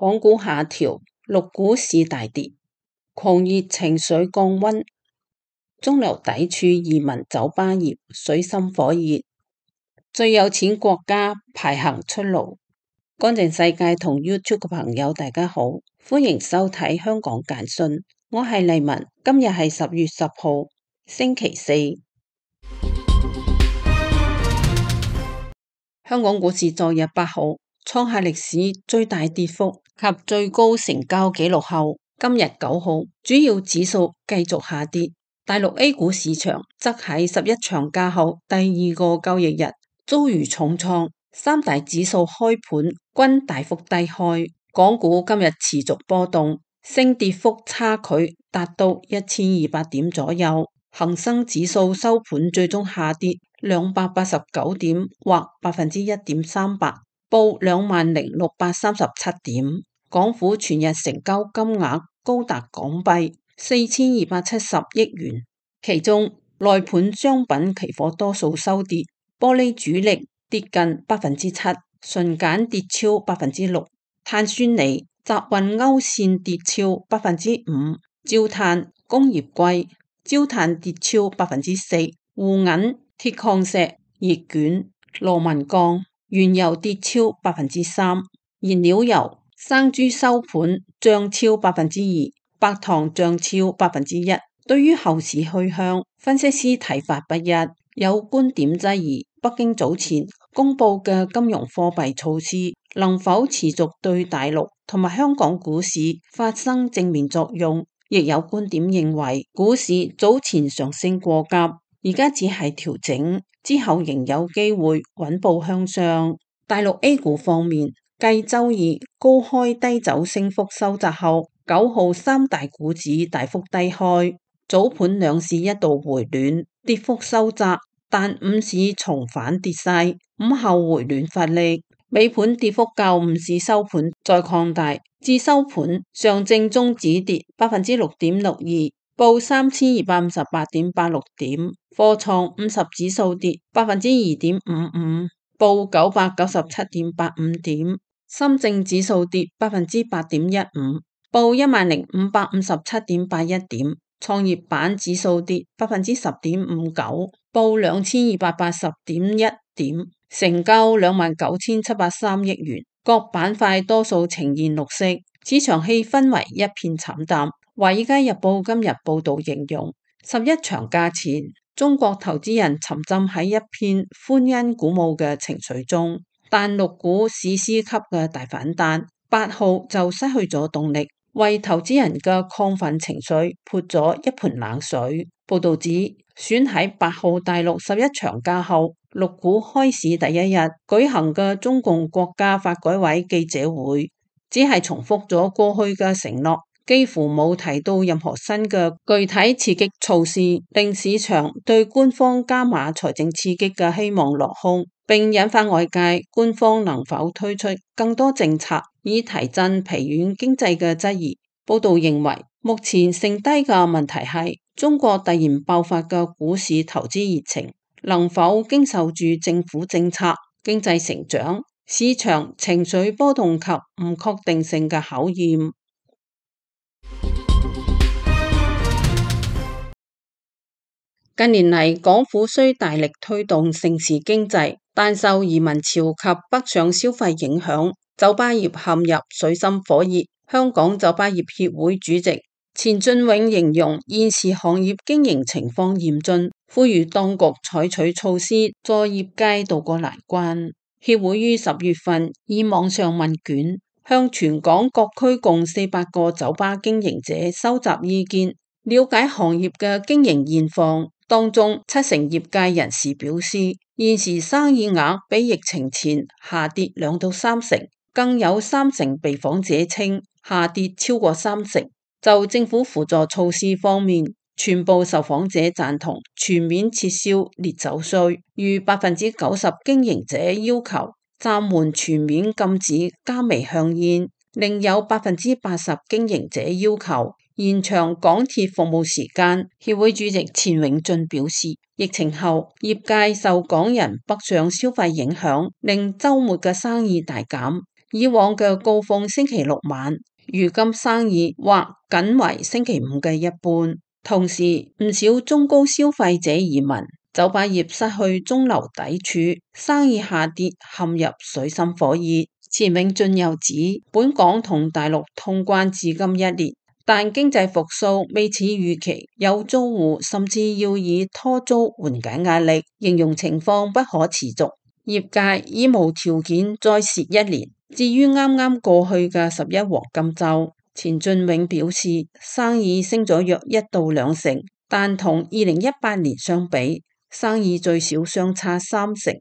港股下調，陸股市大跌，狂熱情緒降溫，中流砥柱移民酒吧業水深火熱，最有錢國家排行出爐。乾淨世界同 YouTube 嘅朋友大家好，歡迎收睇香港簡訊，我係麗文，今日係10月10號星期四。香港股市昨日8號創下歷史最大跌幅及最高成交紀錄後，今日9號主要指數繼續下跌。大陸 A 股市場則喺11長假後第二個交易日遭遇重創，三大指數開盤均大幅低開。港股今日持續波動，升跌幅差距達到1200點左右。恒生指數收盤最終下跌289點或1.38%，報20,637點。港府全日成交金額高達港幣4270億元，其中內盤商品期貨多數收跌，玻璃主力跌近7%，純鹼跌超6%，碳酸鋰、集運歐線跌超5%，焦炭、工業硅、焦炭跌超4%，滬銀、鐵礦石、熱卷、螺紋鋼、原油跌超3%，燃料油、生豬收盤漲超2%，白糖漲超1%。對於後市去向，分析師睇法不一，有觀點質疑北京早前公布嘅金融貨幣措施能否持續對大陸同埋香港股市發生正面作用，亦有觀點認為股市早前上升過急，而家只係調整，之後仍有機會穩步向上。大陸 A 股方面，繼周二高開低走升幅收窄後，9號三大股指大幅低開，早盤兩市一度回暖，跌幅收窄，但午市重返跌勢，午後回暖發力，尾盤跌幅較午市收盤再擴大，至收盤上證綜指跌6.62%，報3258.86點，科創50指數跌2.55%，報997.85點，深證指數跌8.15%，報10,557.81點。創業板指數跌10.59%，報2280.1點，成交29,703億元。各板塊多數呈現綠色，市場氣氛為一片慘淡。華爾街日報今日報道形容，11長假前，中國投資人沉浸喺一片歡欣鼓舞嘅情緒中，但陸股史詩級嘅大反彈8號就失去咗動力，為投資人嘅亢奮情緒潑咗一盆冷水。報道指，選喺8號大陸11長假後，陸股開市第一日舉行嘅中共國家發改委記者會，只係重複咗過去嘅承諾，幾乎冇提到任何新嘅具體刺激措施，令市場對官方加碼財政刺激嘅希望落空，並引發外界官方能否推出更多政策以提振疲軟經濟嘅質疑。報道認為，目前剩低嘅問題係中國突然爆發嘅股市投資熱情能否經受住政府政策、經濟成長、市場情緒波動及唔確定性嘅考驗。近年嚟，港府雖大力推動盛事經濟，但受移民潮及北上消費影響，酒吧業陷入水深火熱。香港酒吧業協會主席錢俊永形容現時行業經營情況嚴峻，呼籲當局採取措施助業界渡過難關。協會於10月份以網上問卷向全港各區共400個酒吧經營者收集意見，了解行業嘅經營現況。當中70%業界人士表示，現時生意額比疫情前下跌2到3成，更有30%被訪者稱下跌超過30%。就政府輔助措施方面，全部受訪者贊同全面撤銷烈酒稅，逾90%經營者要求暫緩全面禁止加微香煙，另有80%經營者要求延長港鐵服務時間。協會主席錢永俊表示，疫情後業界受港人北上消費影響，令週末嘅生意大減。以往嘅高峰星期六晚，如今生意或僅為星期五嘅一半。同時，唔少中高消費者移民，酒吧業失去中流砥柱，生意下跌，陷入水深火熱。錢永俊又指，本港同大陸通關至今1年，但經濟復甦未似預期，有租戶甚至要以拖租緩解壓力，形容情況不可持續。業界已無條件再蝕1年。至於啱啱過去嘅11黃金週，錢俊永表示生意升咗約1到2成，但同2018年相比，生意最少相差3成。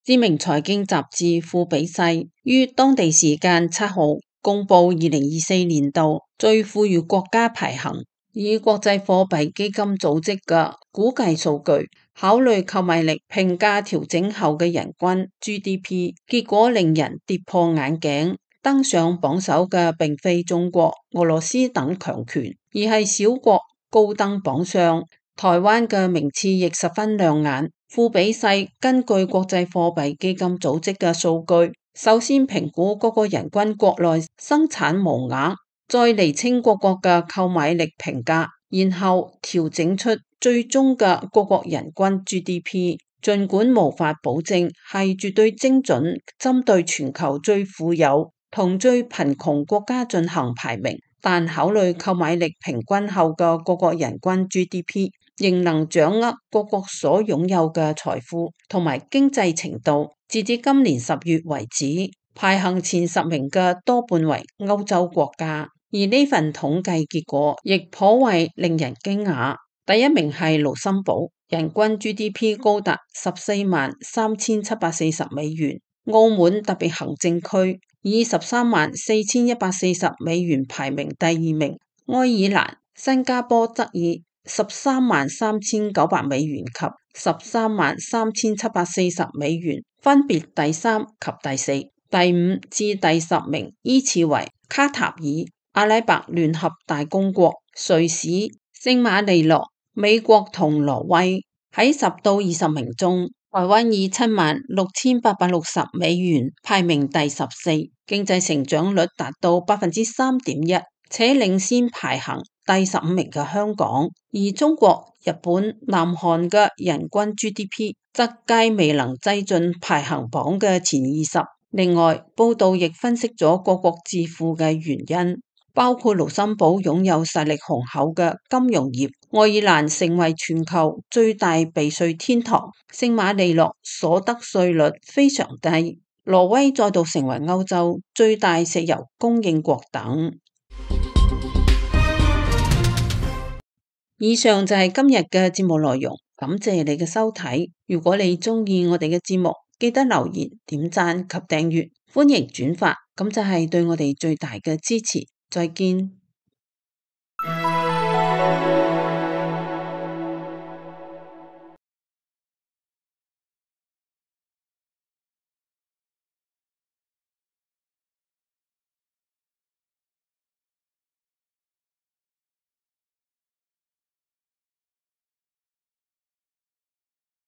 知名財經雜誌富比世於當地時間7號公布2024年度最富裕國家排行，以國際貨幣基金組織嘅估計數據，考慮購買力評價調整後嘅人均 GDP， 結果令人跌破眼鏡。登上榜首嘅並非中國、俄羅斯等強權，而係小國高登榜上。台灣嘅名次亦十分亮眼。富比世根據國際貨幣基金組織嘅數據，首先評估各個人均國內生產毛額，再釐清各國嘅購買力評價，然後調整出最終嘅各國人均 GDP。儘管無法保證係絕對精準，針對全球最富有同最貧窮國家進行排名，但考慮購買力平均後嘅各國人均 GDP，仍能掌握各國所擁有嘅財富同埋經濟程度。截至今年10月為止，排行前10名嘅多半為歐洲國家，而呢份統計結果亦頗為令人驚訝。第1名係盧森堡，人均 GDP 高達143740美元；澳門特別行政區以134140美元排名第2名；愛爾蘭、新加坡則以133900美元及133740美元，分別第3及第4。第5至第10名依次為卡塔爾、阿拉伯聯合大公國、瑞士、聖馬力諾、美國同挪威。喺10到20名中，台灣以76860美元排名第14，經濟成長率達到3.1%，且領先排行第15名嘅香港。而中國、日本、南韓嘅人均 GDP 則皆未能擠進排行榜嘅前20。另外，報道亦分析咗各國致富嘅原因，包括盧森堡擁有實力雄厚嘅金融業，愛爾蘭成為全球最大避稅天堂，聖馬力諾所得稅率非常低，挪威再度成為歐洲最大石油供應國等。以上就係今日嘅節目內容，感謝你嘅收睇。如果你鍾意我哋嘅節目，記得留言、點讚及訂閱，歡迎轉發，咁就係對我哋最大嘅支持。再見。